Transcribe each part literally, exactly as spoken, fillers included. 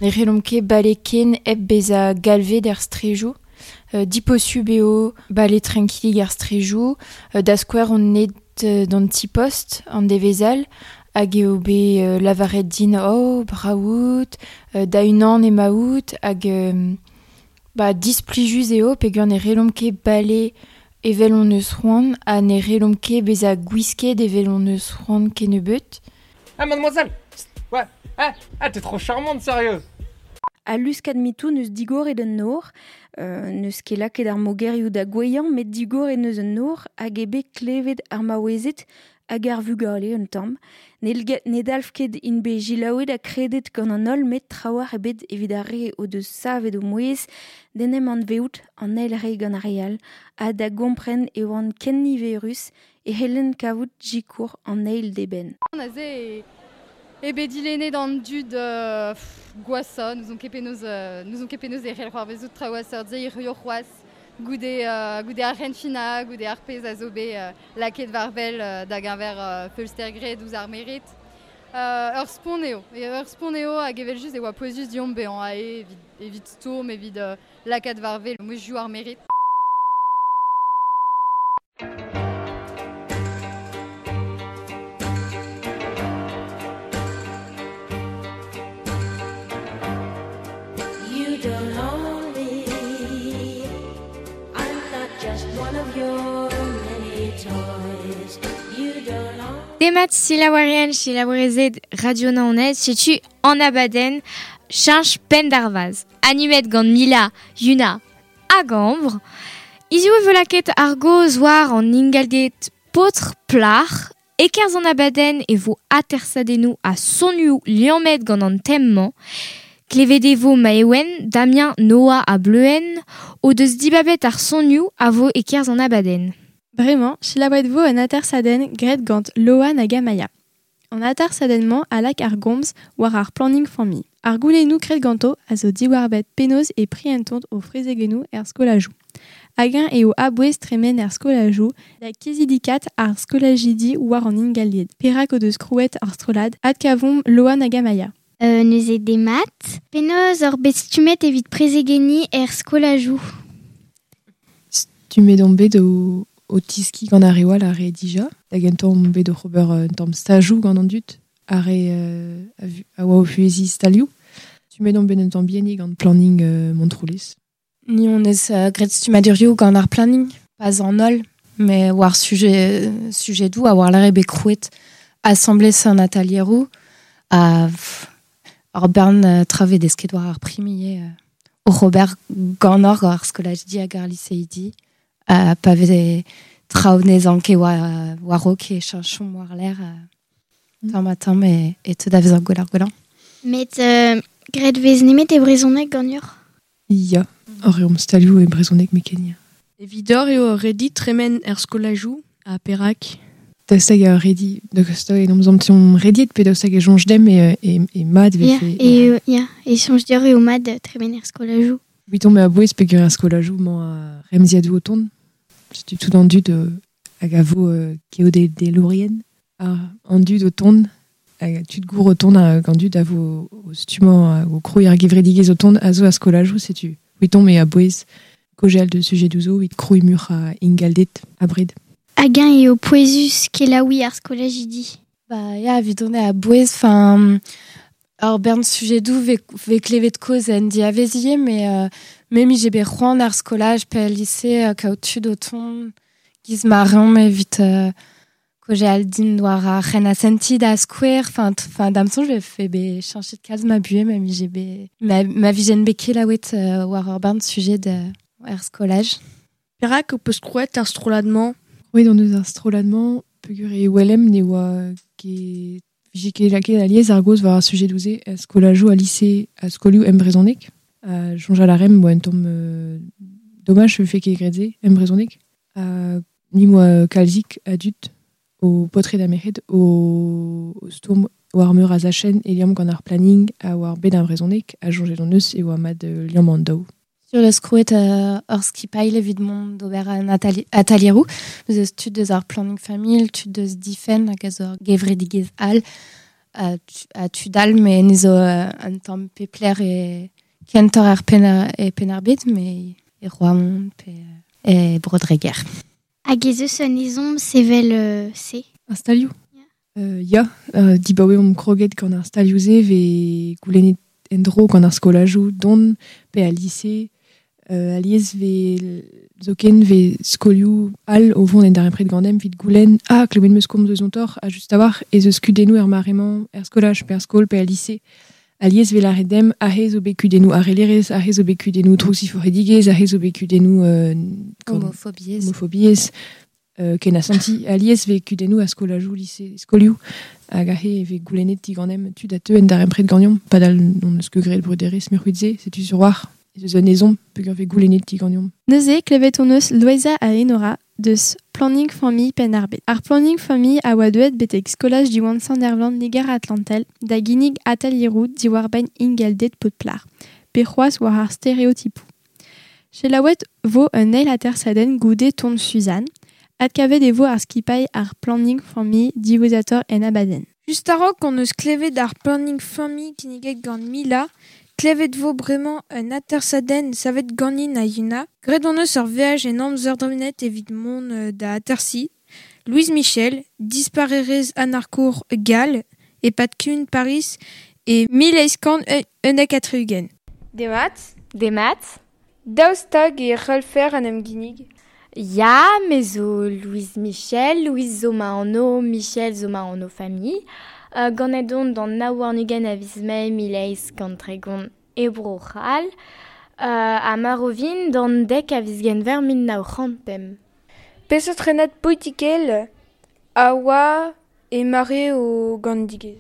Ne c'hellomp ket bale ken hep bezañ galvet er strejoù. Euh, diposub eo bale trankilig er strejoù. Euh, da skouer on net euh, d'an ti-post an devezal hag eo bet euh, lavaret din oh braout, euh, da unan emaout hag euh, ba displijus eo peogwir ne c'hellomp ket bale evel on eus c'hoant ha ne c'hellomp ket bezañ gwisket evel on eus c'hoant kennebeut. Ah mademoiselle. Ouais, ah, ah t'es trop charmante, sérieux. A luskad mitou neus digoret un nor, euh, neus ket lakaet ar mogerioù da goueiañ, met digoret neus un nor hag eo bet klevet ar maouezed hag ar vugale un tamm. Ne, ne dalv ket int bet jilaouet ha kredet gant an holl met trawalc'h ebet evit ar re o deus savet o mouezh d'en em anveout an eil re gant ar re all ha da gompren e oant ken niverus e c'hellent kavout sikour an eil d'eben. Aze e bet dilennet an dud euh, gwashañ, n'ouzon ket penaos euh, n'ouzon ket penaos e c'hell c'hoarvezout traoù a seurt-se hiziv c'hoazh goude euh, goude ar c'henfinañ, goude ar pezh a zo bet euh, lakaet war-wel euh, da geñver euh, feulster graet ouzh ar merc'hed. Euh, ur spont eo, e ur spont eo hag evel-just e oa pouezus deomp bezañ aze evit, evit stourm, evit euh, lakaat war-wel mouezhioù ar merc'hed. You don't own me. I'm not just one of your many toys. You don't own Demat selaouerien selaouerezed Radio Naoned, setu an abadenn Cheñch penn d'ar vazh. Animet gant Mila, Yuna hag Ambre. Hiziv e vo lakaet ar gaoz war an ingalded paotr plac'h. E-kerzh an abadenn e vo atersadennoù ha sonioù liammet gant an tem-mañ. Klevet e vo Maïwenn, Damien, Noah ha Bleuenn o deus dibabet ar sonioù a vo e-kerzh an abadenn. Bremañ, selaouet vo un atersadenn graet gant Loan hag Amaia. An atersadenn-mañ a lak ar gomz war ar planning familh. Ar goulennoù graet ganto a zo diwar-benn penaos e prientont o frezegennoù er skolajoù. Hag-eñ eo a-bouez tremen er skolajoù da kizidikat ar skolajidi war an ingalded. Perak o deus krouet ar strollad adkavomp Loan hag Amaia. Euh, neuze demat. Penaos oc'h bet stummet evit prezegenniñ er skolajoù. Stummet on bet o, o tiski gant ar re oa ar re dija. Da gentañ on bet oc'h ober un tamm stajoù gant an dud, ar re euh, a vu, a oa o fueziñ stalioù. Stummet on bet un tamm bihanik gant planning euh, Montroulez. Ni on eus euh, graet stummadurioù gant ar planning, pas an holl, mais war sujet, sujet doù a war lare bet krouet assemblée an atelieroù a ar bern euh, trave desket war ar primier euh, o Robert gant ar ar skolaj di hag ar lycéidi a pa veze traoù nezan ket war, war o ket cheñchomp war l'air euh, tamm ha tamm e, e te da vezañ gwell ar gwellañ. Met euh, graet vez nemet e brezhoneg ganeoc'h? Ya, ar reomp stalioù e brezhoneg mekenia. Evidor eo ur redi tremen er skolajoù ha perak? Daoust hag ur redi, daoust hag en omzamtion rediet pe daoust hag e soñj demp e, e, e mat Ya, vefe. e, ya, e soñj deoc'h eo mat tremen er skolajoù. Evidomp e a-bouez peogwir er skolajoù 'mañ ar remziadoù o tont. Setu tout an dud, euh, hag a vo, euh, keodelourien. Ar, an dud o tont, hag tud gour o tont hag an dud a vo o stummañ hag o krouiñ ar gevredigezh o tont a zo a skolajoù, setu. Evidomp e a-bouez kaozeal de sujet douzo, evit krouiñ muioc'h a ingalded abred. Hag-eñ eo pouezus kelaouiñ ar skolajidi? Ba, ya, evidon eo a-bouez, enfin, ur bern sujedoù ve, ve klevet kaoz en diavezier, mais, euh, me mi j'ai bet c'hoant ar skolaj pe al lycée, euh, kaout tud o tont giz ma reomp evit, euh, kaozeal din war ar c'hen asenti da skouer, enfin, t-, enfin, da'm soñj ve fe bet cheñchet kalz ma buhez, ma mi j'ai bet, ma, ma vijen bet kelaouet, euh, war ur bern sujet de, er skolaj. Perak ho peus krouet ar strollad-mañ? Krouet hon eus ar strollad-mañ peogwir e welem ne oa ket vije ket lakaet alies ar gaoz war ar sujet douze a skolajoù a lycée a skolioù em brezhoneg. A soñjal a reemp oa un tamm, euh, domaj vefe ket graet se em brezhoneg. A ni moa kalzik a dud o paotred ha merc'hed o, o stourm war meur a zachenn e liamm gant ar planning a war bet ar brezhoneg a soñjet hon eus e oa mat, euh, liamm an daou. Sur le skrouet, euh, ur skipailh evit mont d'ober an atali-, atelieroù. Nous eus tud deus ar planning familh, tud deus difenn hag a zo ur gevredigezh all. a, a tudal me ne zo un tamm pepler e kentor ar pen e Penn-ar-Bed me e Roamont pe e Bro-Dreger. Hag ez eus un ezhomm sevel euh, se? Ar stalioù? Euh, ya, euh, dibaoe omp kroget gant ar stalioù-se ve goulennet en-dro gant ar skolajoù don pe al lise euh, alies ve zoken ve skolioù all o vont en darempred ganem evit goulenn ah klevet meus komz eus an tor a just a-walc'h ez eus kudennoù er mare-mañ er skolaj pe er skol pe al lise alies ve lâret demp aze zo bet kudennoù harellerezh aze zo bet kudennoù droukziforc'hidigezh aze zo bet kudennoù euh, homofobiezh homofobiezh euh, ken asanti alies ve kudennoù a skolajoù lise skolioù hag aze ve goulennet diganemp tud a teu en darempred ganeomp padal n'hon eus ket graet bruderezh mic'hwit-se setu sur war ez eus un ezhomm peogwir vez goulennet diganeomp. Neuze klevet hon eus Loeiza ha Enora deus Planning Famille Penn-ar-Bed. Ar Planning Famille a oa deuet betek skolaj Diwan Sant-Ervlan Liger-Atlantel da ginnig atelieroù diwar-benn ingalded paotr-plac'h, pe c'hoazh war ar stereotipoù. Selaouet vo un eil atersadenn goude ton Suzanne, adkavet e vo ar skipailh ar Planning Famille diwezhatoc'h en abadenn. Just a-raok hon eus klevet ar Planning Famille kinniget gant Mila, klevet vo bremañ un atersadenn savet ganin ha Yuna. Graet hon eus ur veaj en amzer dremenet evit mont da atersiñ. Louise Michel, disparerez anarkour gall, e-pad kumun Paris e mil eizh kant unnek ha tri-ugent. Demat. Demat. Daoust hag e c'hallfer en em ginnig? Ya, me zo Louise Michel, Louise zo ma anv, Michel zo ma anv familh. Uh, ganet on d'an nav warn-ugent a viz Mae mil eizh kant tregont e Bro-C'hall, uh, ha marv d'an dek a viz Genver mil nav c'hant pemp. Peseurt renad politikel a oa e mare o ganedigezh?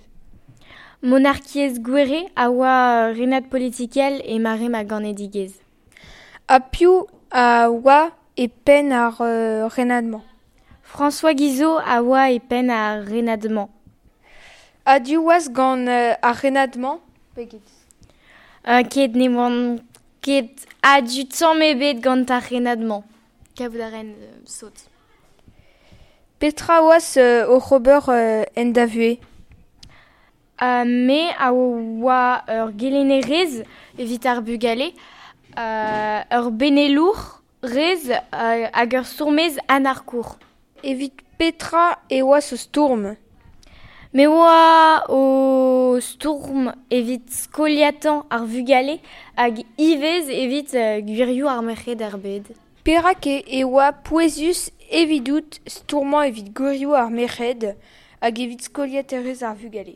Monarkiezh Gouere a oa renad politikel e mare ma ganedigezh. Ha piv a oa e penn ar uh, renad-mañ? François Guizot a oa e penn ar renad-mañ. A-du oas gant uh, ar renad-mañ? Pe get? Uh, ket ne oan ket a-du tamm ebet gant ar renad-mañ. Kavout a ren uh, sot. Petra oas uh, oc'h ober uh, en da vuhez? Uh, me a oa ur gelennerez evit ar bugale, uh, ur benelour rez uh, hag ur stourmez anarkour. Evit petra e oas o stourm? Me oa o stourm evit skoliatañ ar vugale hag ivez evit uh, gwirioù ar merc'hed er bed. Perak e oa pouezus evidout stourmañ evit gwirioù ar merc'hed hag evit skoliaterezh ar vugale?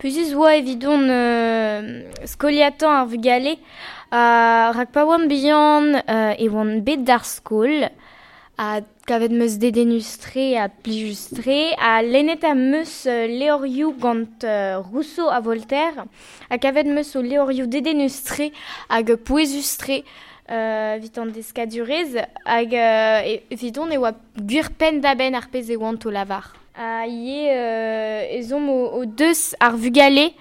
Pouezus oa evidon euh, skoliatañ ar vugale uh, rak pa oan bihan uh, e oan bet d'ar skol ha kavet meus dedennus-tre ha plijus-tre ha lennet am meus levrioù gant uh, Rousseau ha Voltaire ha kavet meus o levrioù dedennus-tre hag pouezus-tre uh, evit an deskadurezh hag uh, evidon e oa gwir penn-da-benn ar pezh e oant o lavar. Ha ivez euh, ezhomm o, o deus ar vugale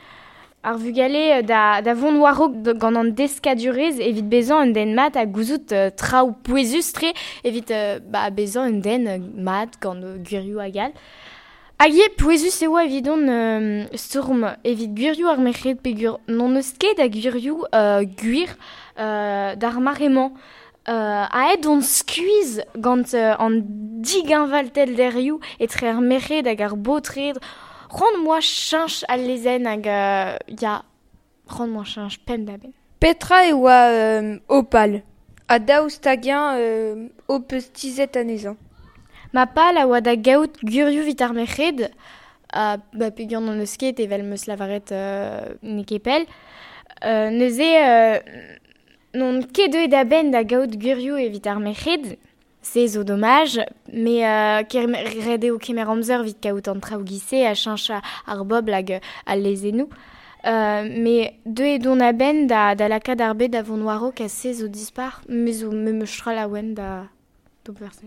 ar vugale da, da vont war-raok gant an deskadurezh evit bezañ un den mat ha gouzout uh, traoù pouezus-tre evit uh, ba, bezañ un den mat gant uh, gwirioù hag all. Hag ivez pouezus e oa evidon euh, stourm evit gwirioù ar merc'hed peogwir n'hon eus ket a gwirioù uh, gwir uh, d'ar mare-mañ. Uh, aet on skuizh gant uh, an digeñvalted derioù etre ar merc'hed hag ar baotred. C'hoant 'm boa cheñch al lezenn hag uh, ya, c'hoant 'm boa cheñch penn-da-benn. Petra e oa euh, ho pal? Ha daoust hag-eñ euh, ho peus tizhet anezhañ? Ma pal a oa da gaout gwirioù evit ar merc'hed, uh, ba peogwir n'hon eus ket evel 'm eus lavaret euh, n'eo ket pell. Euh, neuze euh, n'on ket deuet a-benn da gaout gwirioù evit ar merc'hed. Se zo domaj, me euh, ret eo kemer amzer evit kaout an traoù giz-se ha cheñch ar bobl hag al lezennoù. Euh, me deuet on a-benn da, da lakaat ar bed da vont war-raok ha se zo dispar, me zo me meus tra laouen da d'ober se.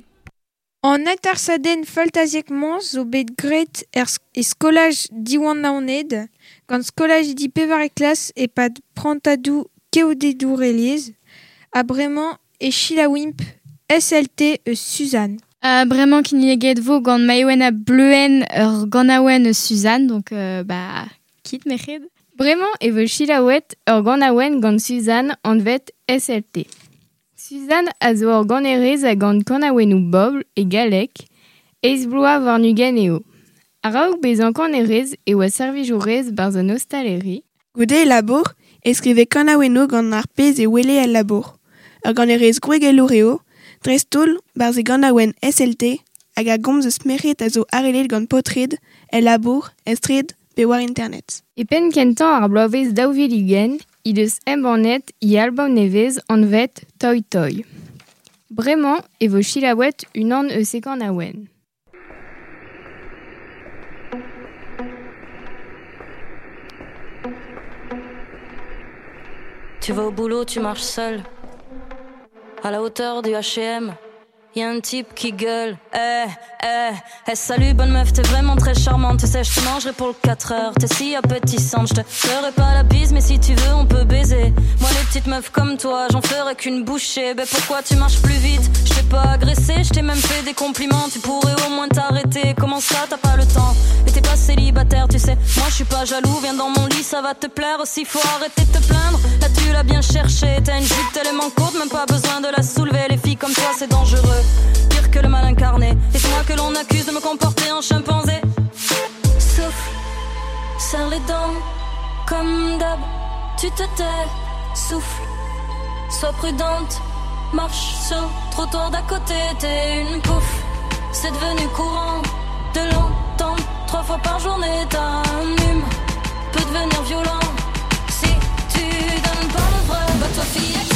An atersadenn faltaziek-mañ zo bet graet er e skolaj Diwan Naoned gant skolajidi pevare klas e-pad prantadoù keodedoureliezh ha bremañ e selaouimp S L T eus Suzanne. Euh, bremañ kinniget vo gant Maïwenn ha Bleuenn ur ganaouenn eus Suzanne, donc euh, bah, kit merc'hed. Bremañ e vo selaouet ur ganaouenn gant Suzanne anvet S L T. Suzanne a zo ur ganerez a gant kanaouennoù bobl e galleg, eizh bloaz warn-ugent eo. A-raok bezañ kanerez e oa servijourez barzh an ostaleri. Goude e labour e skrive kanaouennoù gant ar pezh e wele el labour. Ur ganerez gwregelour eo, dreist-holl barzh e ganaouenn S L T hag a gomz eus merc'hed a zo harellet gant paotred, el labour, er straed pe war internet. E penn kentañ ar bloavezh daou vil ugent he deus embannet he album nevez anvet Toy Toy. Bremañ e vo selaouet unan eus e ganaouenn. Tu vas au boulot, tu marches seul. À la hauteur du H et M, y a un type qui gueule. Eh, eh, eh, salut bonne meuf, t'es vraiment très charmante. Tu sais, je te mangerai pour le quatre heures. T'es si appétissante, je te ferai pas la bise, mais si tu veux, on peut baiser. Moi, les petites meufs comme toi, j'en ferai qu'une bouchée. Ben pourquoi tu marches plus vite? Je t'ai pas agressé, je t'ai même fait des compliments. Tu pourrais au moins t'arrêter. Comment ça, t'as pas le temps? Mais t'es pas célibataire, tu sais. Moi, je suis pas jaloux, viens dans mon lit, ça va te plaire aussi. Faut arrêter de te plaindre. Là, tu l'as bien cherché. T'as une jupe tellement courte, même pas besoin de la soulever. Les filles comme toi, c'est dangereux. Pire que le mal incarné. Et c'est moi que l'on accuse de me comporter en chimpanzé. Souffle, serre les dents, comme d'hab, tu te tais. Souffle, sois prudente, marche sur le trottoir d'à côté. T'es une pouffe, c'est devenu courant de l'entendre trois fois par journée. T'as un hume, peut devenir violent si tu donnes pas le vrai. Bah toi fillette.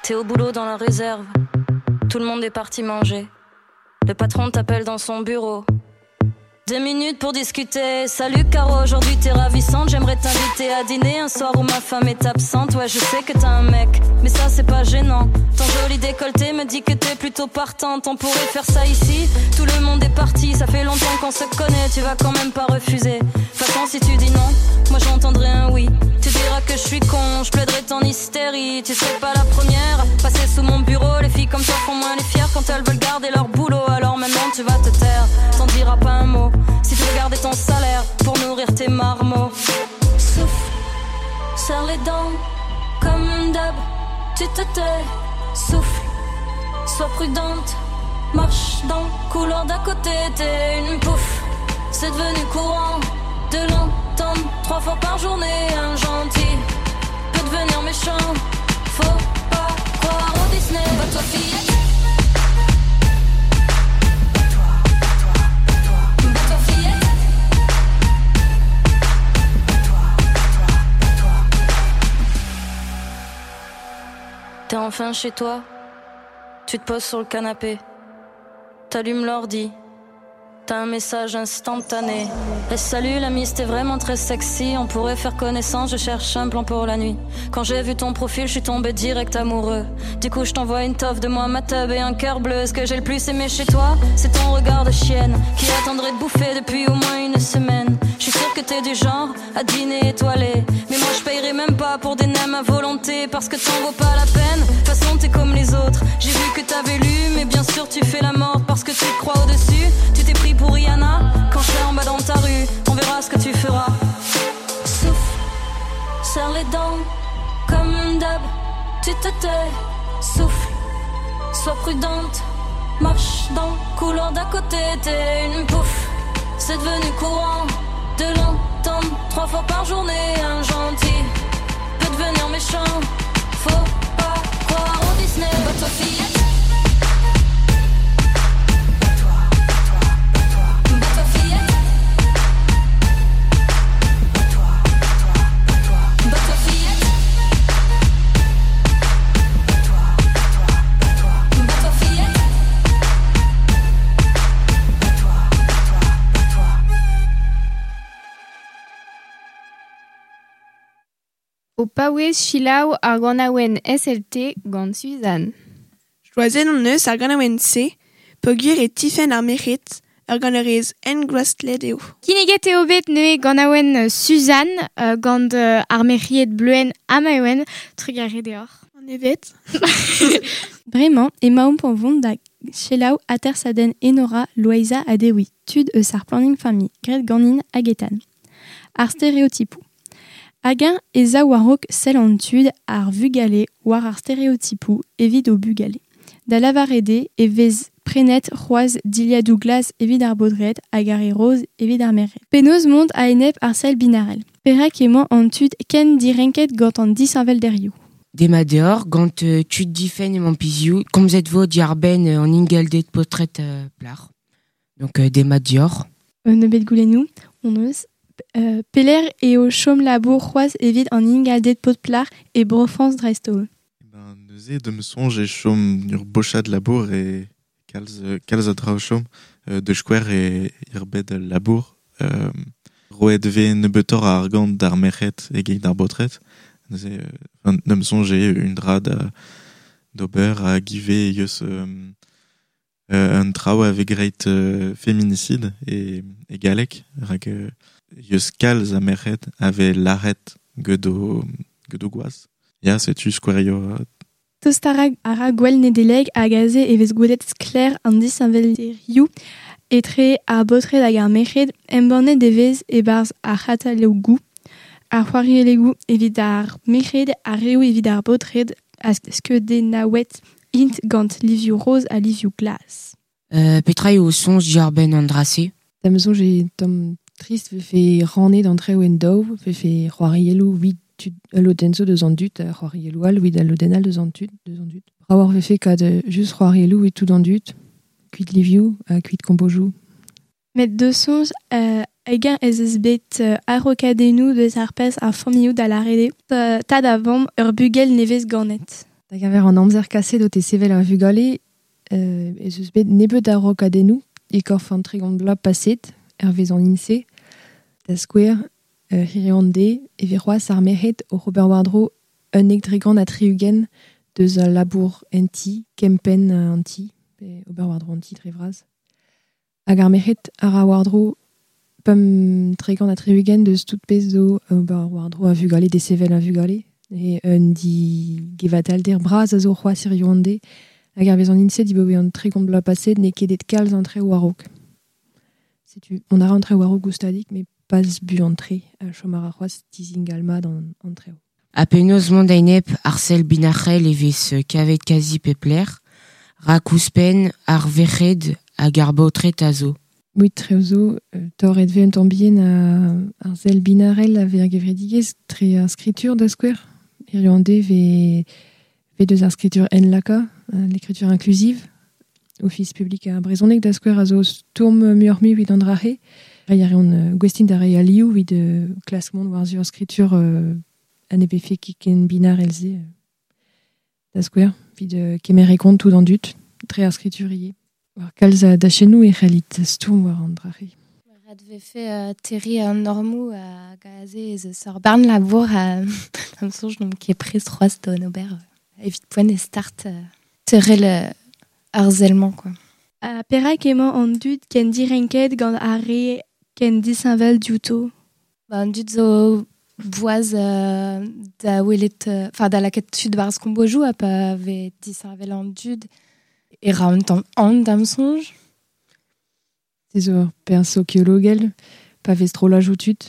T'es au boulot dans la réserve, tout le monde est parti manger. Le patron t'appelle dans son bureau. Deux minutes pour discuter. Salut Caro, aujourd'hui t'es ravissante. J'aimerais t'inviter à dîner un soir où ma femme est absente. Ouais, je sais que t'as un mec, mais ça c'est pas gênant. Ton joli décolleté me dit que t'es plutôt partante. On pourrait faire ça ici, tout le monde est parti. Ça fait longtemps qu'on se connaît, tu vas quand même pas refuser. De toute façon, si tu dis non, moi j'entendrai un oui. Tu diras que je suis con, je plaiderai ton hystérie. Tu serais pas la première à passer sous mon bureau. Les filles comme toi font moins les fières quand elles veulent garder leur boulot. Alors maintenant tu vas te taire, t'en diras pas un mot. Si tu veux garder ton salaire pour nourrir tes marmots. Souffle, serre les dents, comme d'hab, tu te tais. Souffle, sois prudente, marche dans le couloir d'à côté. T'es une pouffe, c'est devenu courant de l'entendre trois fois par journée. Un gentil peut devenir méchant, faut pas croire au Disney. Va toi fillette. T'es enfin chez toi, tu te poses sur le canapé, t'allumes l'ordi, t'as un message instantané. Et salut l'ami, c'était vraiment très sexy, on pourrait faire connaissance, je cherche un plan pour la nuit. Quand j'ai vu ton profil, je suis tombé direct amoureux. Du coup je t'envoie une toffe de moi, ma teub et un cœur bleu. Ce que j'ai le plus aimé chez toi, c'est ton regard de chienne qui attendrait de bouffer depuis au moins une semaine. Je suis sûre que t'es du genre à dîner étoilé, mais moi je payerais même pas pour des nems à volonté, parce que t'en vaut pas la peine. De toute façon t'es comme les autres, j'ai vu que t'avais lu, mais bien sûr tu fais la morte parce que tu te crois au-dessus. Tu t'es pris pour Rihanna quand je serai en bas dans ta rue, on verra ce que tu feras. Souffle, serre les dents, comme d'hab, tu te tais. Souffle, sois prudente, marche dans le couloir d'à côté. T'es une pouffe, c'est devenu courant de l'entendre trois fois par journée. Un gentil peut devenir méchant, faut pas croire au Disney. Bah toi fillette. O paouez selaou ar ganaouenn S L T gant Suzanne. Choazet hon eus ar ganaouenn-se peogwir e tifenn ar merc'hed Ur ganerez engouestlet eo. Kinniget eo bet neuze gant awen Suzanne, euh, gant euh, ar merc'hied Bleuen ha Maïwenn, trugarez deoc'h. An evet. Bremañ emaomp o vont da selaou atersadenn Enora Loeiza ha Dewi, tud eus ar planning familh, graet ganin hag etan. Ar stereotipoù. Hag-eñ ez a war-raok sell an tud ar vugale war ar stereotipoù evit o bugale. Da lavaret eo e vez prenet c'hoazh dilhadoù glas evit ar baotred hag ar re roz evit ar merc'hed. Penaos mont a-enep ar sell binarel. Perak emañ an tud ken direnket gant an disheñvelderioù. Demat deoc'h, gant euh, tud difenn emañ pizioù, komzet vo diàr-benn euh, an ingalded paotred euh, plac'h. Donc euh, demat deoc'h. Un nebeud goulennoù, on eus. Euh, pelec'h eo chom labour c'hoazh evit an ingalded paotr plac'h e Bro-Frañs dreist-holl. Ben, neuze da'm soñj e chom ur bochad labour e kalz, kalz a draoù chom euh, de skouer e ir bed al labour. Euh, roet vez nebeutoc'h a argant d'ar merc'hed eget d'ar baotred. Neuze, euh, enfin, da'm soñj eo un dra da, d'ober hag ivez eus euh, euh, un traoù a vez graet euh, féminicide e, e galleg, rak euh, eus kalz a merc'hed a vez lâret get o, get o gwaz. Ya, setu skouerioù. Tost a ra a ra gwell Nedeleg hag aze e vez gwelet sklaer an disheñvelderioù etre ar baotred hag ar merc'hed embannet e vez e-barzh ar c'hatalogoù, ar c'hoariellegoù evit ar merc'hed, ar reoù evit ar baotred ha skeudennaouet int gant livioù roz ha livioù glas. Euh, petra eo soñj diàr-benn an dra-se? Da'm soñj eo tamm trist vefe rannet an traoù en daou, vefe c'hoarielloù evit tud ul lodenn zo deus an dud, ha c'hoarielloù all evit al lodenn all deus an tud, deus an dud. Bravoc'h vefe kad just c'hoarielloù evit tout an dud, kuit livioù ha kuit kompozoù. Met deus soñj euh, hag-eñ ez eus bet euh, a-raokadennoù deus ar pezh ar familhoù da lâret eo, tad ha vamm ur bugel nevez ganet. Da geñver an amzer kaset o tesevel ar vugale, euh, ez eus bet nebeut a-raokadennoù e korf an tregont bloaz paset, hervez an INSEE, da skouer, euh, hiriv an deiz, e vez c'hoazh ar merc'hed oc'h ober war-dro unnek dregont ha tri-ugent deus al labour en ti, kempenn an ti, pe ober war-dro an ti dre vras. Hag ar merc'hed a ra war-dro pemp tregont ha tri-ugent deus tout pezh zo ober war-dro a vugale, desevel a vugale. E un di gevatalder bras a zo c'hoazh hiriv an deiz, hag ar vez an INSEE dibaoe an tregont bloaz paset n'eo ket et kalz an traoù war-raok. Setu, on a ra an traoù war-raok goustadik, met pas buan-tre, a chom a ra c'hoazh dizingal mat an, an traoù. Ha penaos mont a-enep ar sell binarel e vez kavet kazi pep lec'h, rak ouzhpenn ar verc'hed hag ar baotred a zo. Oui, traoù zo, euh, torret vez un tamm bihan a, ar sell binarel a vez ar gevredigezh tre ar skritur da skouer. Hiriv an deiz vez, vez deus ar skritur enlaka, l'écriture inclusive, Office public ar brezhoneg da skouer a zo stourm muioc'h-mui evit an dra-se. Reiñ a reont euh, gouestint da reiñ alioù evit euh, klask mont war-zu ar skritur euh, an e vefe ket ken binarel se euh, da skouer, evit euh, kemer e kont tout an dud, tre ar skritur ivez. War kalz a dachennoù e c'hellit stourm war an dra-se. Ret vefe euh, terriñ an normoù hag aze ez eus ur barn labour a da'm soñj n'omp ket prest c'hoazh d'an ober euh, evit poent e start euh, terrel euh, ar sell-mañ quoi. Ha perak emañ an dud ken direnket gant ar re ken disheñvel diouto? Ba, an dud zo boaz euh, da welet, enfin da lakaat tud barzh kombojoù ha pa vez disheñvel an dud e ra un tamm an da'm soñj. Se zo ur perzh sokiologel, pa vez strollajoù tud,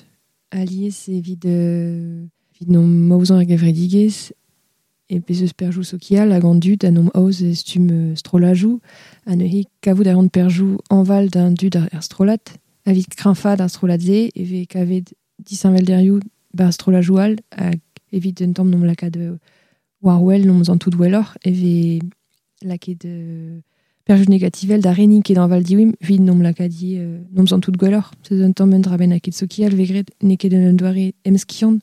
alies evit, euh, evit n'omp maozañ ar gevredigezh, e bez eus perzhioù sokial hag an dud a n'omp aoz e stumm euh, strollajoù, ha neuze kavout a ran perzhioù añval d'un dud ar, ar strollad, evit kreñfaat ar strollad-se, e vez kavet disheñvelderioù bar strollajoù all, hag evit un tamm n'omp lakaat euh, war wel, n'omp zan tout welloc'h, e vez lakaet euh, perzhioù negativel da reniñ ket añval diwim, evit n'omp lakaat ivez euh, n'omp zan tout gwelloc'h. Se zo un tamm un dra bennak sokial vez graet n'eo ket un doare emskiant,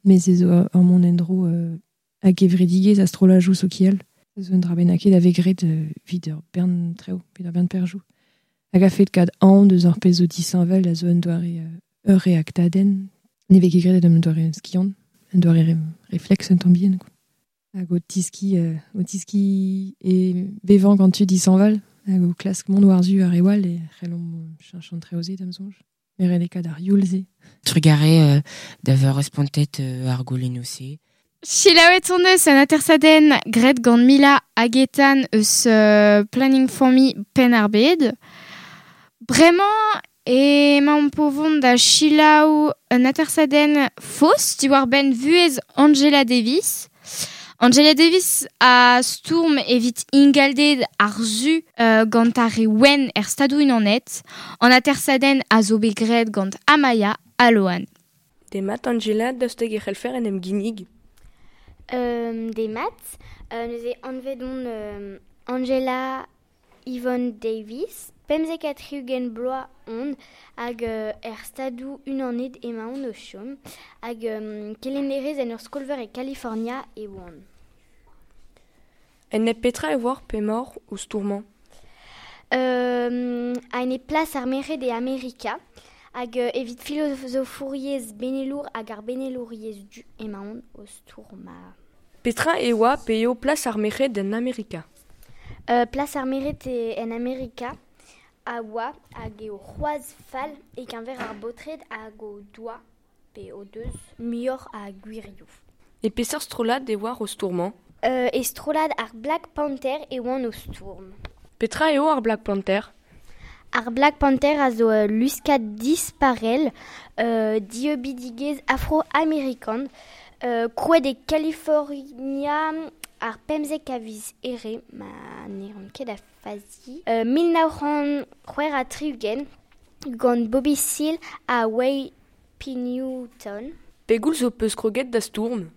met se zo ur mont en-dro euh, hag gevredigezh a strollajoù sokial. Se zo un dra bennak a vez graet euh, evit ur bern traoù, evit ur bern perzhioù. Hag a fet kad aon deus ar pezh zo disheñvel a zo un doare euh, ur reaktadenn. Ne vez ket graet un doare skiant, un doare re- réflexe un tamm bihan, quoi. Hag o tiski, euh, o tiski e bevañ gant tud dishañval, Hag o klask mont war-zu ar re all e c'hellomp cheñch an treo-se da'm soñj. Met ret eo kat ar youl-se. Trugarez euh, d'avoir respontet euh, ar goulennoù-se. Selaouet hon eus an atersadenn graet gant Mila hag Ethan eus euh, Planning Familh Penn-ar-Bed. Bremañ emaomp o vont da selaou un atersadenn faos diwar-benn vuhez Angela Davis. Angela Davis a stourm evit ingalded ar zu euh, gant ar re wenn er Stadoù-Unanet. An atersadenn a zo bet graet gant Amaya ha Loan. Demat Angela, daoust hag e c'hellfer en em ginnig? Euh, demat, euh, neuze anvet on euh, Angela Yvonne Davis, pemzek ha tri-ugent bloaz on hag euh, er Stadoù Unanet emaon o chom, hag euh, kelennerez en ur skol-veur e California e oan. En nep petra e oar p'emaoc'h o stourmañ? Euh, a-enep plas ar merc'hed e Amerika, hag euh, evit filozofouriezh benelour hag ar benelouriezh du emaon o stourmañ. Petra e oa pe eo plas ar merc'hed en Amerika? Euh, plas ar merc'hed en Amerika a oa hag eo c'hoazh fall e-keñver ar baotred hag o doa pe o deus muioc'h a gwirioù. E peseurt strollad e oar o stourmañ? Euh, e strollad ar Black Panther e oan o stourm. Petra eo ar Black Panther? Ar Black Panther a zo uh, luskad disparel euh, dieubidigezh afro-amerikan euh, krouet e California ar pemzek a viz Here, ma ne ran ket a fazi. Euh, mil nav c'hant c'hwec'h ha tri-ugent gant Bobby Seale ha Wayne P. Newton. Pegoulz ho peus kroget da stourm?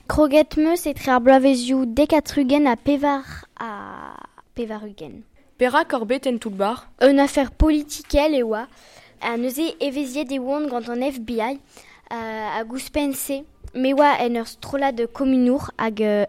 Kroget 'm eus etre ar bloavezioù dek ha tri-ugent ha pevar ha pevar-ugent. Perak oc'h bet en toull-bac'h? Un afer politikel e oa. Ha neuze evezhiet e oan gant an F B I euh, hag ouzhpenn-se. Me oa en ur strollad komunour hag er,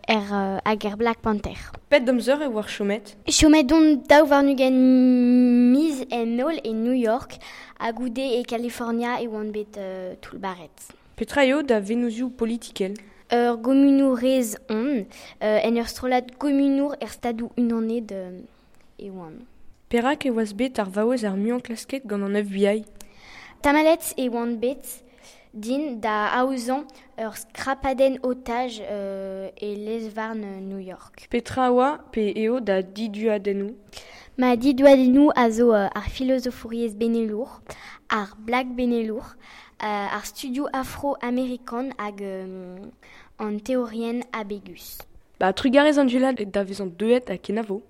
hag er Black Panther. Pet amzer e oar chomet? Chomet on daou warn-ugent miz en holl e New York ha goude e California e oan bet euh, toullbaret. Petra eo da vennozioù politikel? Ur gomunourez on, euh, en ur strollad komunour er Stadoù Unanet euh, e oan. Perak e oas bet ar vaouez ar muiañ klasket gant an F B I? Tamalet e oan bet din da aozañ ur skrapadenn otaj euh, e lez-varn New York. Petra oa pe eo da diduadennoù? Ma diduadennoù a zo euh, ar filozofouriezh benelour, ar Black benelour, euh, ar studioù afro-amerikan hag euh, an teorienn abegus. Ba, trugarez Angela da vezañ deuet ha kenavo.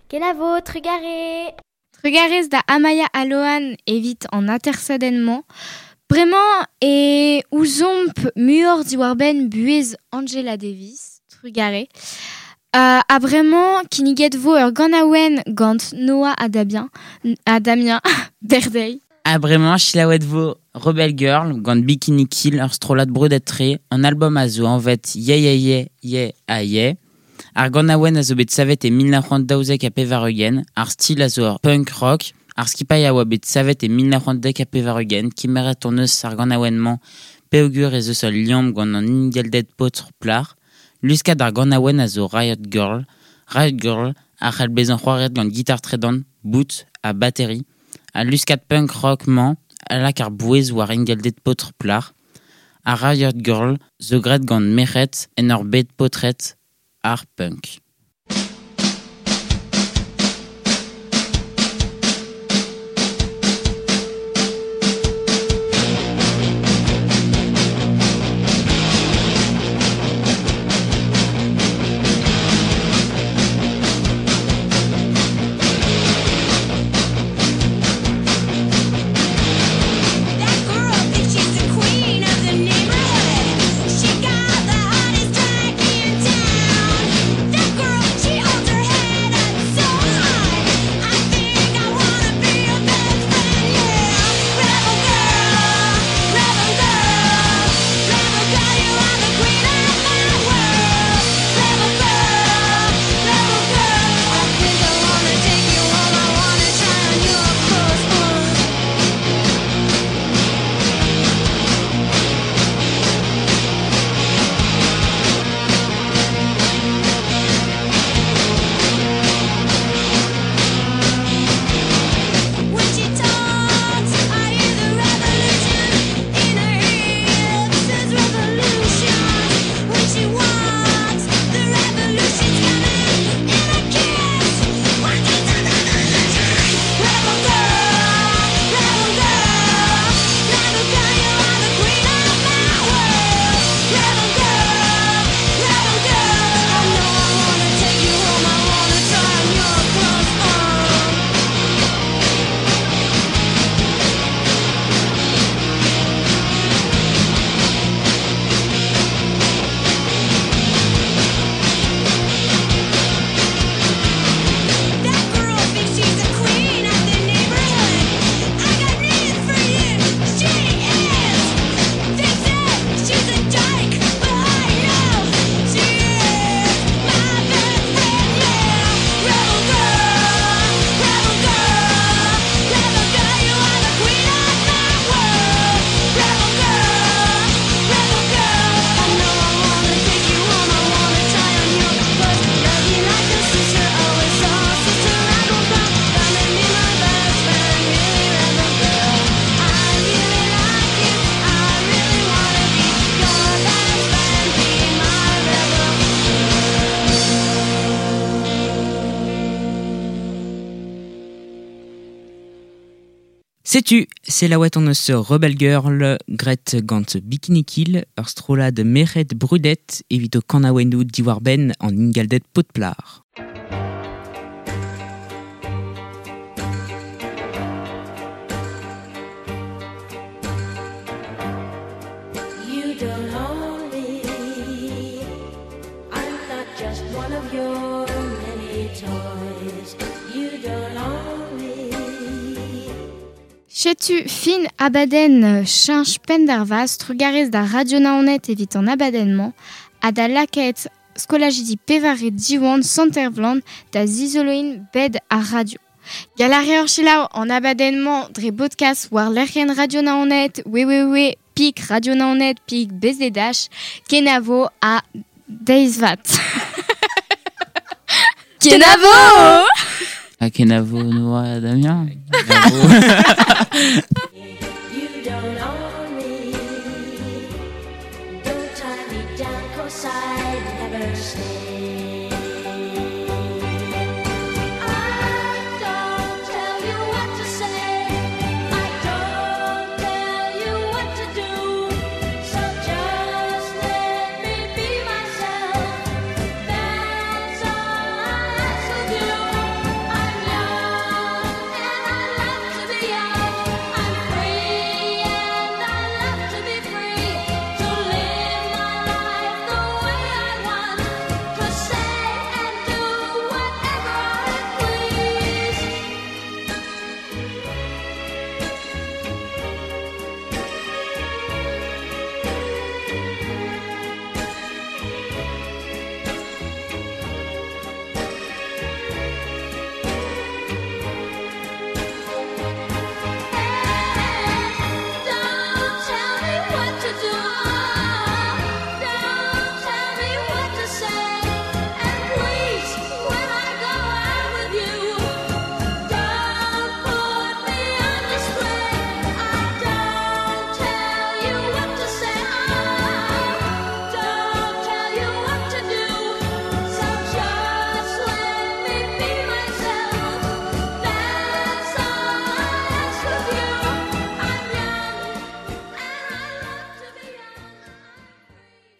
Kenavo, trugarez! Trugarez da Amaya ha Loan evit an atersadenn-mañ. Bremañ e ouzomp muioc'h diwar-benn buhez Angela Davis, trugarez. Euh, ha bremañ kinniget vo ur ganaouenn gant Noah ha Damien, ha Damien Berdey. Ha bremañ selaouet vo Rebel Girl gant Bikini Kill ur strollad brudet-tre, an album a zo anvet Yeah Yeah Yeah Yeah Ah Yeah. Ar ganaouenn a zo bet savet e mil nav c'hant daouzek ha pevar-ugent, ar stil a zo ur punk rock, ar skipailh a oa bet savet e mil nav c'hant dek ha pevar-ugent, kemeret hon eus ar ganaouenn-mañ peogwir ez eus ul liamm gant an ingalded paotr plac'h. Luskad ar ganaouenn a zo Riot Girl. Riot Girl a c'hell bezañ c'hoariet gant gitar tredan, bout ha batterie. Al luskad punk rock-mañ a lak ar bouez war ingalded paotr plac'h. Ar Riot Girl zo graet gant merc'hed en ur bed paotred ar punk. She got the hottest track in town. That Setu, selaouet hon eus Rebel Girl, Gret gant Bikini Kill, ur strollad merc'hed brudet evit o kanaouennoù diwar-benn an ingalded potplar. You don't own me. I'm not just one of your many toys. You don't own me. Setu fin abadenn cheñch penn-d'ar-vaz trugarez da Radio Naoned evit an abadenn-mañ ha da lakaet skolajidi pevare Diwan Sant-Ervlan da zizoloin bed ar radio. Gall a reoc'h selaou an abadenn-mañ dre bodkast war lec'hienn Radio Naoned www pik radio naoned pik bzh kenavo ha deizvat. Kenavo! Ha kenavo Noa Damien. Kenavo. You don't own me. Don't tie me down, 'cause I'd never stay.